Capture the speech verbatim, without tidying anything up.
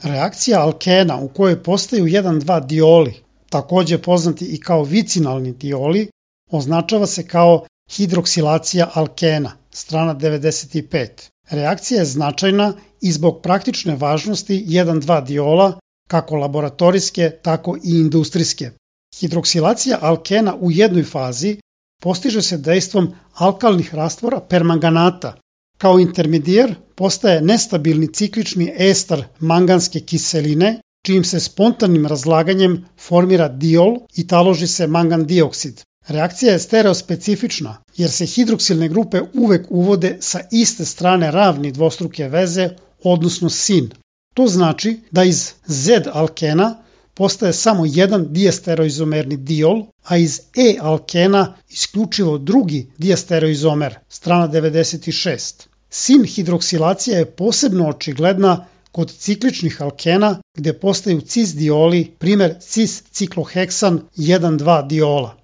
Reakcija alkena u kojoj postaju jedan dva dioli, takođe poznati i kao vicinalni dioli, označava se kao hidroksilacija alkena, strana devedeset pet. Reakcija je značajna i zbog praktične važnosti jedan dva diola, kako laboratorijske, tako i industrijske. Hidroksilacija alkena u jednoj fazi postiže se dejstvom alkalnih rastvora permanganata. Kao intermedijer postaje nestabilni ciklični ester manganske kiseline, čijim se spontanim razlaganjem formira diol i taloži se mangan dioksid. Reakcija je stereospecifična jer se hidroksilne grupe uvek uvode sa iste strane ravni dvostruke veze, odnosno sin. To znači da iz Z-alkena postaje samo jedan diestereoizomerni diol, a iz E-alkena isključivo drugi diestereoizomer, strana devedeset šest. Sin hidroksilacija je posebno očigledna kod cikličnih alkena gde postaju cis dioli, primer cis-cikloheksan jedan dva diola.